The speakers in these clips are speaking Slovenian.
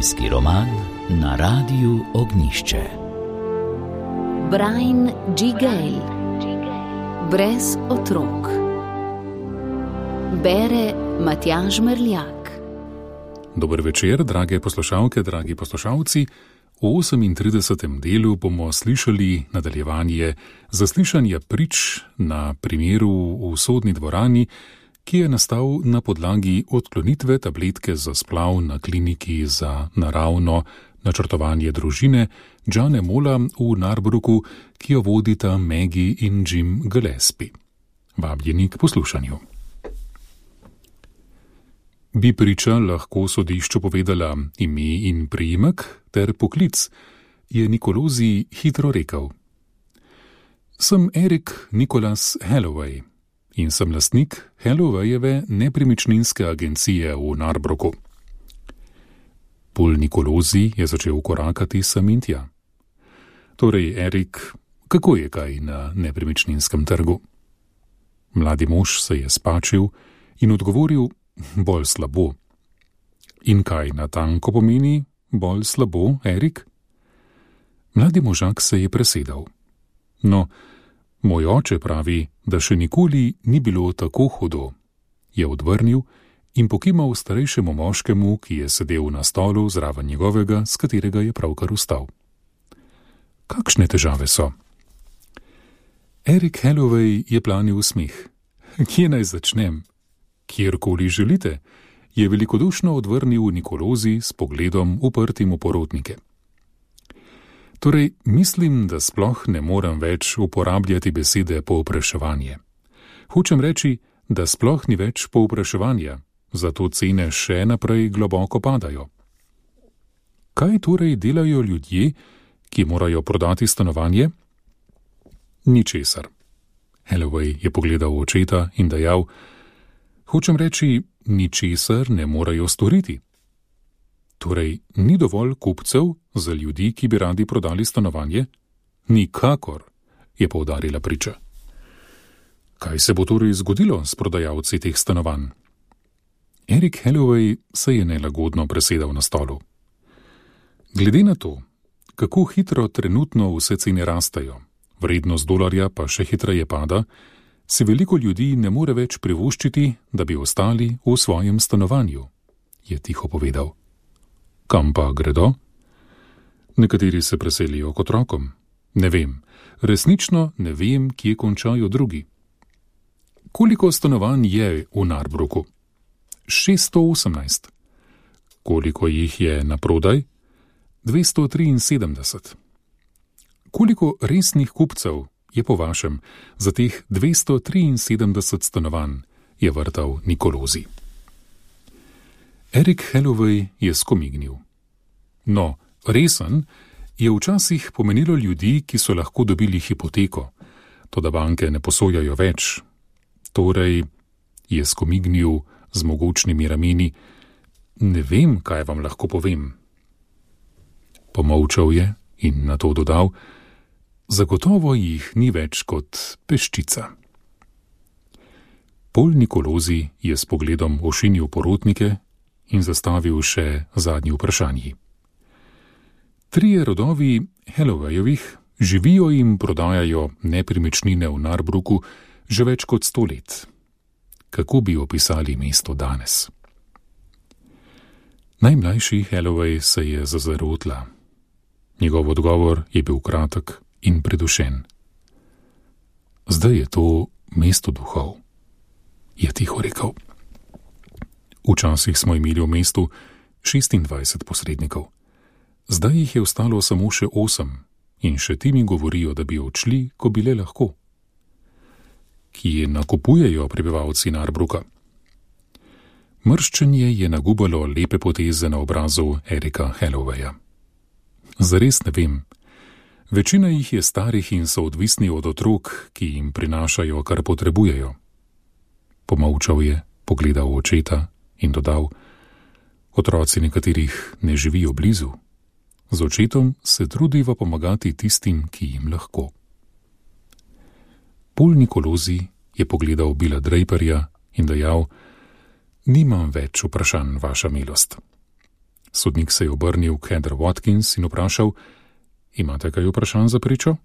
Zimski roman na Radiu Ognjišče. Brian G. Gale. Brez otrok. Bere Matjaž Merljak. Dober večer, drage poslušalke, dragi poslušalci. V 38. delu bomo slišali nadaljevanje zaslišanja prič na primeru v sodni dvorani, ki je nastal na podlagi odklonitve tabletke za splav na kliniki za naravno načrtovanje družine Johna Molla v Narbrooku, ki jo vodita Maggie in Jim Gillespie. Vabljeni k poslušanju. Bi priča lahko sodišču povedala ime in priimek ter poklic, je Nicolosi hitro rekel. Sem Eric Nicholas Halloway in sem lastnik Hallowayjeve nepremičninske agencije v Narbrooku. Paul Nicolosi je začel korakati sem in tja. Torej, Eric, kako je kaj na nepremičninskem trgu? Mladi mož se je spačil in odgovoril, bolj slabo. In kaj natanko pomeni bolj slabo, Erik? Mladi možak se je presedal. No, moj oče pravi, da še nikoli ni bilo tako hudo, je odvrnil in pokimal starejšemu moškemu, ki je sedel na stolu zraven njegovega, s katerega je pravkar vstal. Kakšne težave so? Eric Halloway je planil smeh. Kje naj začnem? Kjerkoli želite, je velikodušno odvrnil Nicolosi s pogledom uprtim v porotnike. Torej, mislim, da sploh ne morem več uporabljati besede povpraševanje. Hočem reči, da sploh ni več povpraševanja, zato cene še naprej globoko padajo. Kaj torej delajo ljudje, ki morajo prodati stanovanje? Ničesar. Halloway je pogledal v očeta in dejal, hočem reči, ničesar ne morajo storiti. Torej, ni dovolj kupcev za ljudi, ki bi radi prodali stanovanje? Nikakor, je poudarila priča. Kaj se bo torej zgodilo s prodajalci teh stanovanj? Eric Halloway se je nelagodno presedal na stolu. Glede na to, kako hitro trenutno vse cene rastejo, vrednost dolarja pa še hitreje pada, si veliko ljudi ne more več privoščiti, da bi ostali v svojem stanovanju, je tiho povedal. Kam pa gredo? Nekateri se preselijo k otrokom. Ne vem, resnično ne vem, kje končajo drugi. Koliko stanovanj je v Narbrooku? 618. Koliko jih je na prodaj? 273. Koliko resnih kupcev je po vašem za teh 273 stanovanj, je vrtal Nicolosi. Eric Halloway je skomignil. No, resen je včasih pomenilo ljudi, ki so lahko dobili hipoteko, toda banke ne posojajo več. Torej, je skomignil z mogočnimi rameni, ne vem, kaj vam lahko povem. Pomolčal je in nato dodal, zagotovo jih ni več kot peščica. Paul Nicolosi je s pogledom ošinil porotnike in zastavil še zadnji vprašanji. 3 rodovi Hallowayjevih živijo in prodajajo nepremičnine v Narbrooku že več kot 100 let. Kako bi opisali mesto danes? Najmlajši Halloway se je zazrl v tla. Njegov odgovor je bil kratek in predušen. Zdaj je to mesto duhov, je tiho rekel. Včasih smo imeli v mestu 26 posrednikov. Zdaj jih je ostalo samo še 8 in še ti mi govorijo, da bi odšli, ko bi le lahko. Kje nakupujejo prebivalci Narbrooka? Mrščenje je nagubalo lepe poteze na obrazu Erika Hallowaya. Zares ne vem. Večina jih je starih in so odvisni od otrok, ki jim prinašajo, kar potrebujejo. Pomolčal je, pogledal v očeta in dodal, otroci nekaterih ne živijo blizu. Z očetom se trudiva pomagati tistim, ki jim lahko. Paul Nicolosi je pogledal Billa Draperja in dejal, nimam več vprašanj, vaša milost. Sodnik se je obrnil k Heather Watkins in vprašal: Imate kaj vprašanj za pričo?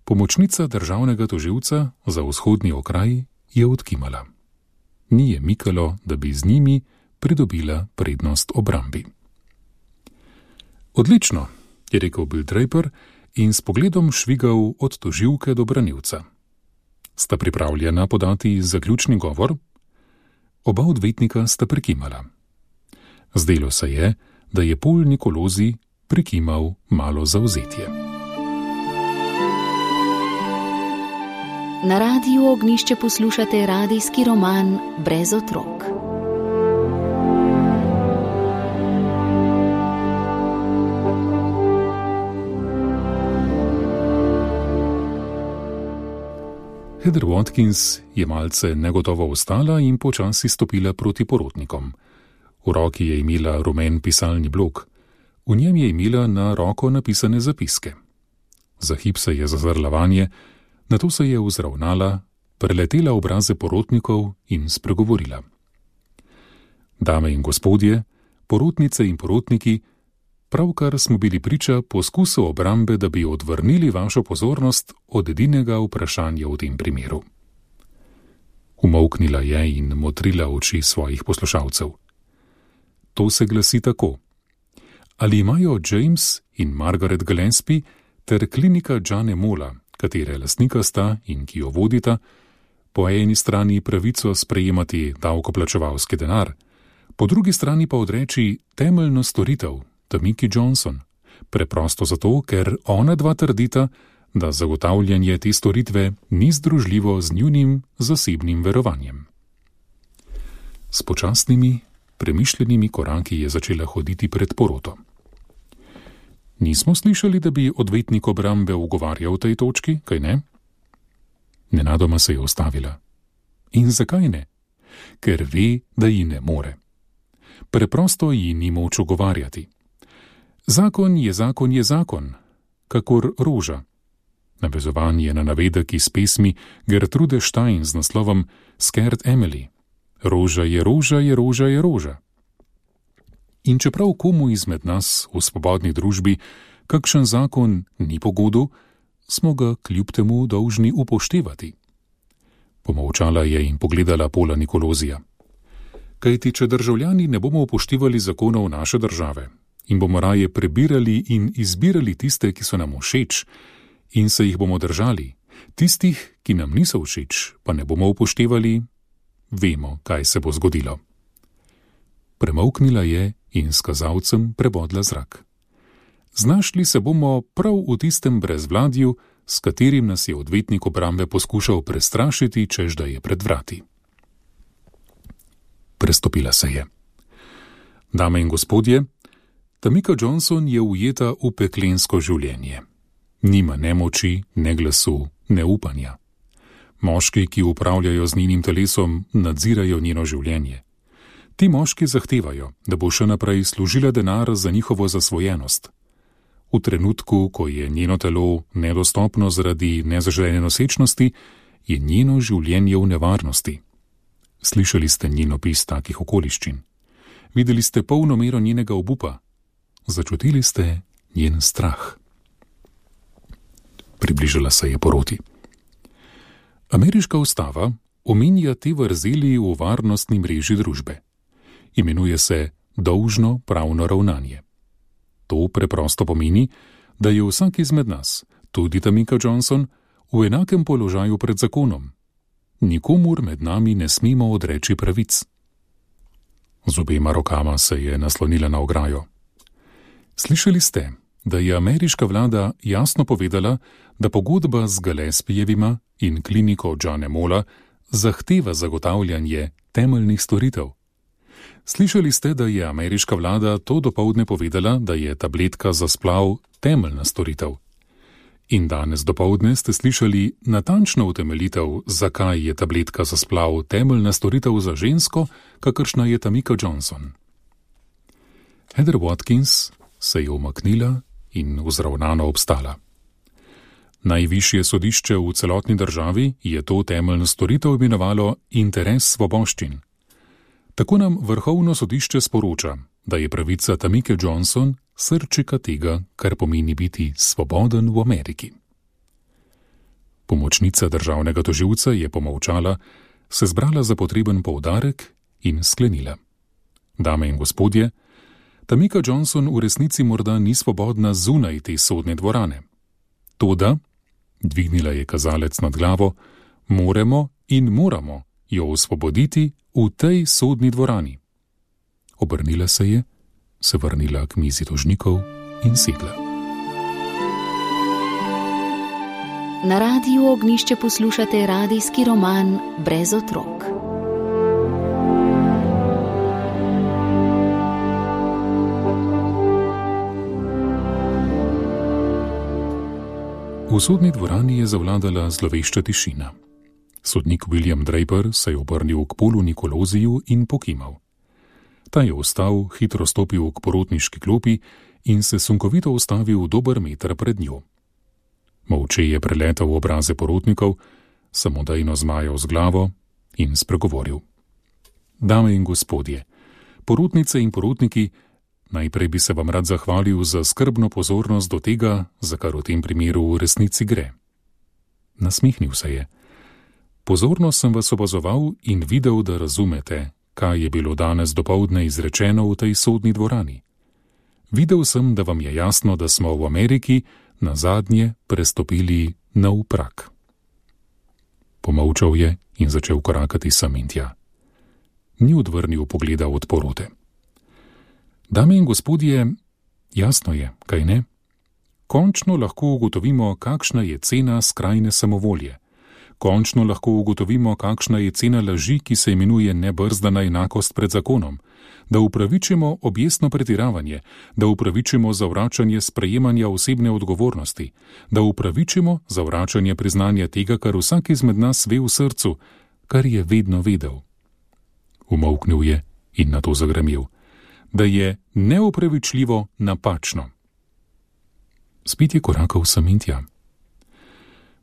Pomočnica državnega tožilca za vzhodni okraj je odkimala. Ni je mikalo, da bi z njimi pridobila prednost obrambi. Odlično, je rekel Bill Draper in s pogledom švigal od tožilke do branilca. Sta pripravljena podati zaključni govor? Oba odvetnika sta prikimala. Zdelo se je, da je Paul Nicolosi prikimal malo zavzetje. Na Radiu Ognjišče poslušate radijski roman Brez otrok. Heather Watkins je malce negotovo vstala in počasi stopila proti porotnikom. V roki je imela rumen pisalni blok. V njem je imela na roko napisane zapiske. Za hip se je zazrla vanje, nato se je vzravnala, preletela obraze porotnikov in spregovorila. Dame in gospodje, porotnice in porotniki, pravkar smo bili priča poskusu obrambe, da bi odvrnili vašo pozornost od edinega vprašanja v tem primeru. Umolknila je in motrila oči svojih poslušalcev. To se glasi tako. Ali imajo James in Margaret Gillespie ter klinika Johna Mola, katere lastnika sta in ki jo vodita, po eni strani pravico sprejemati davkoplačevalski denar, po drugi strani pa odreči temeljno storitev, Tamiki Johnson, preprosto zato, ker ona dva trdita, da zagotavljanje te storitve ni združljivo z njunim zasebnim verovanjem. S počasnimi, premišljenimi koraki je začela hoditi pred poroto. Nismo slišali, da bi odvetnik obrambe ugovarjal v tej točki, kaj ne? Nenadoma se je ustavila. In zakaj ne? Ker ve, da ji ne more. Preprosto ji ni moč ugovarjati. Zakon je zakon je zakon, kakor roža. Navezovanje na navedek iz pesmi Gertrude Stein z naslovom Scared Emily. Roža je roža je roža je roža. In čeprav komu izmed nas v svobodni družbi kakšen zakon ni pogodu, smo ga kljub temu dolžni upoštevati. Pomolčala je in pogledala Paula Nicolosija. Kajti, če državljani ne bomo upoštevali zakonov naše države in bomo raje prebirali in izbirali tiste, ki so nam všeč, in se jih bomo držali, tistih, ki nam niso všeč, pa ne bomo upoštevali, vemo, kaj se bo zgodilo. Premolknila je in s kazalcem prebodla zrak. Znašli se bomo prav v tistem brezvladju, s katerim nas je odvetnik obrambe poskušal prestrašiti, čež da je pred vrati. Prestopila se je. Dame in gospodje, Tamika Johnson je ujeta v peklensko življenje. Nima ne moči, ne glasu, ne upanja. Moški, ki upravljajo z njenim telesom, nadzirajo njeno življenje. Ti moški zahtevajo, da bo še naprej služila denar za njihovo zasvojenost. V trenutku, ko je njeno telo nedostopno zaradi nezaželene nosečnosti, je njeno življenje v nevarnosti. Slišali ste njen opis takih okoliščin. Videli ste polno mero njenega obupa. Začutili ste njen strah. Približala se je poroti. Ameriška ustava omenja te vrzeli v varnostni mreži družbe. Imenuje se dolžno pravno ravnanje. To preprosto pomeni, da je vsak izmed nas, tudi Tamika Johnson, v enakem položaju pred zakonom. Nikomur med nami ne smemo odreči pravic. Z obema rokama se je naslonila na ograjo. Slišali ste, da je ameriška vlada jasno povedala, da pogodba z Gillespiejevima in kliniko Johna Mola zahteva zagotavljanje temeljnih storitev. Slišali ste, da je ameriška vlada to dopoldne povedala, da je tabletka za splav temeljna storitev. In danes dopoldne ste slišali natančno utemeljitev, zakaj je tabletka za splav temeljna storitev za žensko, kakršna je Tamika Johnson. Heather Watkins se je umaknila in vzravnano obstala. Najvišje sodišče v celotni državi je to temeljno storitev imenovalo interes svoboščin. Tako nam Vrhovno sodišče sporoča, da je pravica Tamike Johnson srčika tega, kar pomeni biti svoboden v Ameriki. Pomočnica državnega tožilca je pomolčala, se zbrala za potreben poudarek in sklenila. Dame in gospodje, Tamika Johnson v resnici morda ni svobodna zunaj te sodne dvorane. Toda, dvignila je kazalec nad glavo, moramo jo osvoboditi v tej sodni dvorani. Obrnila se je, se vrnila k mizi tožnikov in sedla. Na Radiu Ognjišče poslušate radijski roman Brez otrok. V sodni dvorani je zavladala zlovešča tišina. Sodnik William Draper se je obrnil k Paulu Nicolosiju in pokimal. Ta je vstal, hitro stopil k porotniški klopi in se sunkovito ustavil dober meter pred njo. Molče je preletal obraze porotnikov, samodejno zmajal z glavo in spregovoril. Dame in gospodje, porotnice in porotniki, najprej bi se vam rad zahvalil za skrbno pozornost do tega, za kar v tem primeru v resnici gre. Nasmihnil se je. Pozorno sem vas opazoval in videl, da razumete, kaj je bilo danes dopoldne izrečeno v tej sodni dvorani. Videl sem, da vam je jasno, da smo v Ameriki nazadnje prestopili nov prak. Pomolčal je in začel korakati sem in tja. Ni odvrnil pogleda od porote. Dame in gospodje, jasno je, kaj ne? Končno lahko ugotovimo, kakšna je cena skrajne samovolje. Končno lahko ugotovimo, kakšna je cena laži, ki se imenuje nebrzdana enakost pred zakonom, da upravičimo objestno pretiravanje, da upravičimo zavračanje sprejemanja osebne odgovornosti, da upravičimo zavračanje priznanja tega, kar vsak izmed nas ve v srcu, kar je vedno vedel. Umolknil je in nato zagremel, da je neopravičljivo napačno. Spet je korakal sem in tja.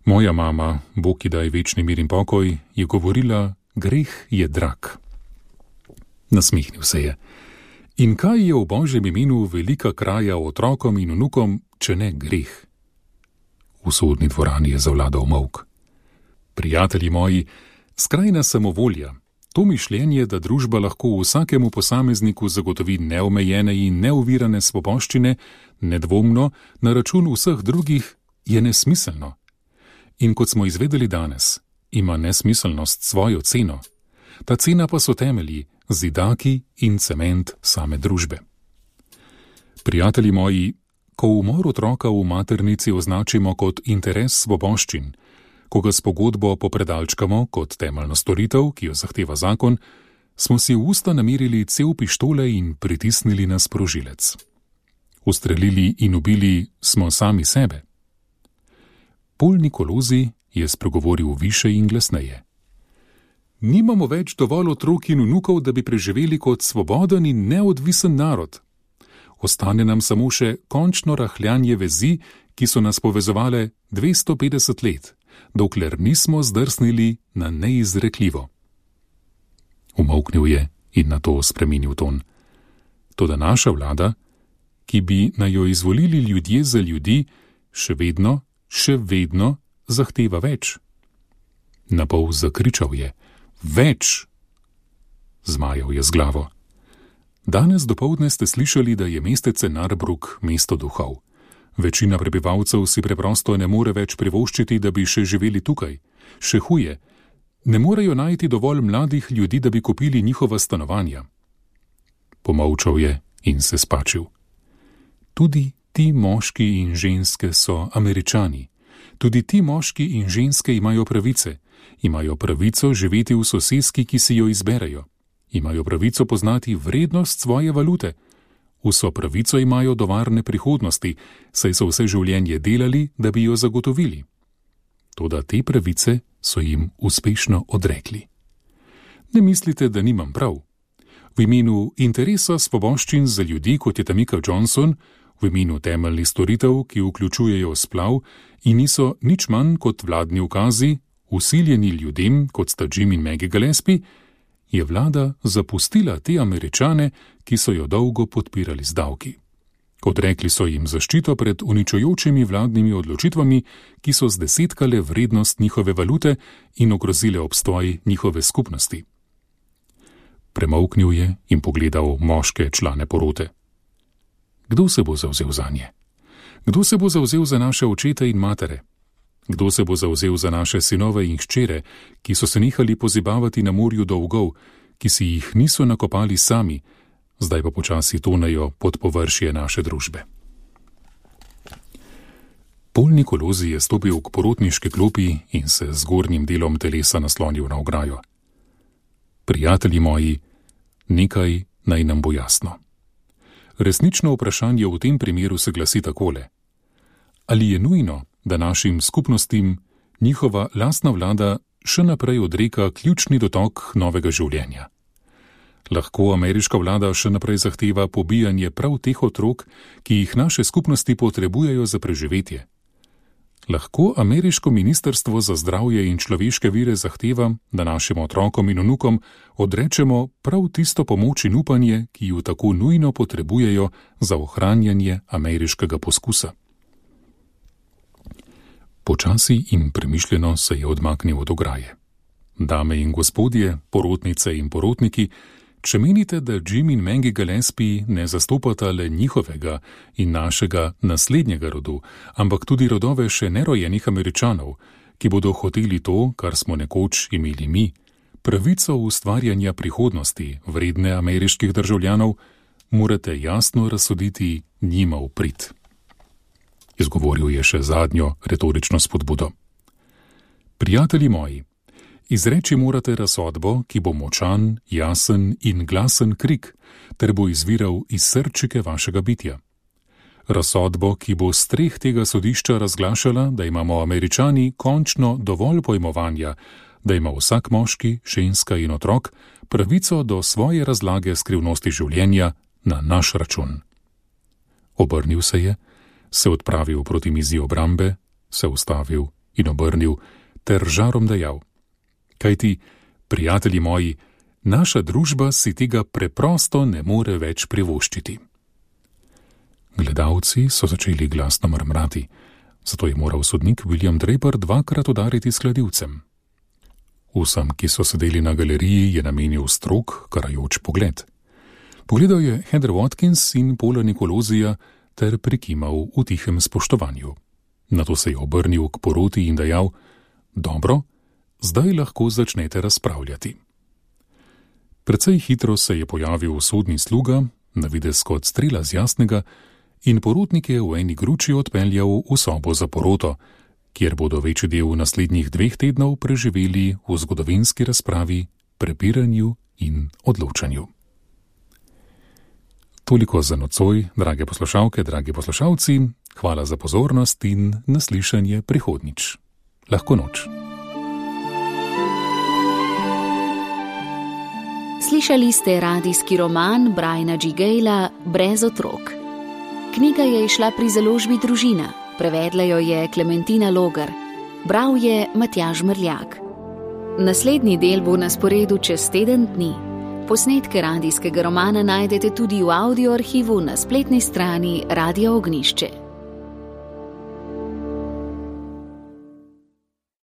Moja mama, Bog ji daj večni mir in pokoj, je govorila, greh je drag. Nasmihnil se je. In kaj je v Božjem imenu velika kraja otrokom in vnukom, če ne greh? V sodni dvorani je zavladal molk. Prijatelji moji, skrajna samovolja, to mišljenje, da družba lahko vsakemu posamezniku zagotovi neomejene in neovirane svoboščine, nedvomno na račun vseh drugih, je nesmiselno. In kot smo izvedeli danes, ima nesmiselnost svojo ceno. Ta cena pa so temelji, zidaki in cement same družbe. Prijatelji moji, ko umor otroka v maternici označimo kot interes svoboščin, ko ga s pogodbo popredalčkamo kot temeljno storitev, ki jo zahteva zakon, smo si v usta namerili cel pištole in pritisnili na sprožilec. Ustrelili in ubili smo sami sebe. Paul Nicolosi je spregovoril više in glasneje. Nimamo več dovolj otrok in vnukov, da bi preživeli kot svoboden in neodvisen narod. Ostane nam samo še končno rahljanje vezi, ki so nas povezovale 250 let, dokler nismo zdrsnili na neizrekljivo. Umolknil je in nato spremenil ton. Toda naša vlada, ki bi naj jo izvolili ljudje za ljudi, še vedno zahteva več. Napol zakričal je. Več! Zmajal je z glavo. Danes dopoldne ste slišali, da je mestece Narbrook mesto duhov. Večina prebivalcev si preprosto ne more več privoščiti, da bi še živeli tukaj. Še huje, ne morejo najti dovolj mladih ljudi, da bi kupili njihova stanovanja. Pomolčal je in se spačil. Tudi ti moški in ženske so Američani. Tudi ti moški in ženske imajo pravice. Imajo pravico živeti v soseski, ki si jo izberejo. Imajo pravico poznati vrednost svoje valute. Vso pravico imajo do varne prihodnosti, saj so vse življenje delali, da bi jo zagotovili. Toda te pravice so jim uspešno odrekli. Ne mislite, da nimam prav. V imenu interesa svoboščin za ljudi, kot je Tamika Johnson, v imenu temeljnih storitev, ki vključujejo splav in niso nič manj kot vladni ukazi, usiljeni ljudem, kot sta Jim in Maggie Gillespie, je vlada zapustila te Američane, ki so jo dolgo podpirali z davki. Odrekli so jim zaščito pred uničujočimi vladnimi odločitvami, ki so zdesetkale vrednost njihove valute in ogrozile obstoj njihove skupnosti. Premolknil je in pogledal moške člane porote. Kdo se bo zavzel zanje? Kdo se bo zavzel za naše očete in matere? Kdo se bo zavzel za naše sinove in hčere, ki so se nehali pozibavati na morju dolgov, ki si jih niso nakopali sami, zdaj pa počasi tonejo pod površje naše družbe? Pol Nikolozi je stopil k porotniški klopi in se z zgornjim delom telesa naslonil na ograjo. Prijatelji moji, nekaj naj nam bo jasno. Resnično vprašanje v tem primeru se glasi takole. Ali je nujno, da našim skupnostim njihova lastna vlada še naprej odreka ključni dotok novega življenja? Lahko ameriška vlada še naprej zahteva pobijanje prav teh otrok, ki jih naše skupnosti potrebujejo za preživetje? Lahko ameriško ministrstvo za zdravje in človeške vire zahteva, da našim otrokom in vnukom odrečemo prav tisto pomoč in upanje, ki ju tako nujno potrebujejo za ohranjanje ameriškega poskusa? Počasi in premišljeno se je odmaknil od ograje. Dame in gospodje, porotnice in porotniki, če menite, da Jim in Maggie Gillespie ne zastopata le njihovega in našega naslednjega rodu, ampak tudi rodove še nerojenih Američanov, ki bodo hoteli to, kar smo nekoč imeli mi, pravico ustvarjanja prihodnosti vredne ameriških državljanov, morate jasno razsoditi njima v prid. Izgovoril je še zadnjo retorično spodbudo. Prijatelji moji, izreči morate razsodbo, ki bo močan, jasen in glasen krik, ter bo izviral iz srčike vašega bitja. Razsodbo, ki bo s streh tega sodišča razglašala, da imamo Američani končno dovolj pojmovanja, da ima vsak moški, ženska in otrok pravico do svoje razlage skrivnosti življenja na naš račun. Obrnil se je, se odpravil proti mizi obrambe, se ustavil in obrnil ter žarom dejal. Kajti, prijatelji moji, naša družba si tega preprosto ne more več privoščiti. Gledalci so začeli glasno mrmrati, zato je moral sodnik William Draper dvakrat udariti s kladivcem. Vsem, ki so sedeli na galeriji, je namenil strog, karajoč pogled. Pogledal je Heather Watkins in Paula Nikolozija ter prikimal v tihem spoštovanju. Nato se je obrnil k poroti in dejal, dobro, zdaj lahko začnete razpravljati. Precej hitro se je pojavil sodni sluga, na videz kot strela z jasnega, in porotnike v eni gruči odpeljal v sobo za poroto, kjer bodo večji del naslednjih 2 tednov preživeli v zgodovinski razpravi, prepiranju in odločanju. Toliko za nocoj, drage poslušalke, dragi poslušalci, hvala za pozornost in naslišanje prihodnjič. Lahko noč. Slišali ste radijski roman Briana G. Gayla Brez otrok. Knjiga je izšla pri založbi Družina, prevedla jo je Klementina Logar, bral je Matjaž Mrljak. Naslednji del bo na sporedu čez teden dni. Posnetke radijskega romana najdete tudi v audio arhivu na spletni strani Radia Ognjišče.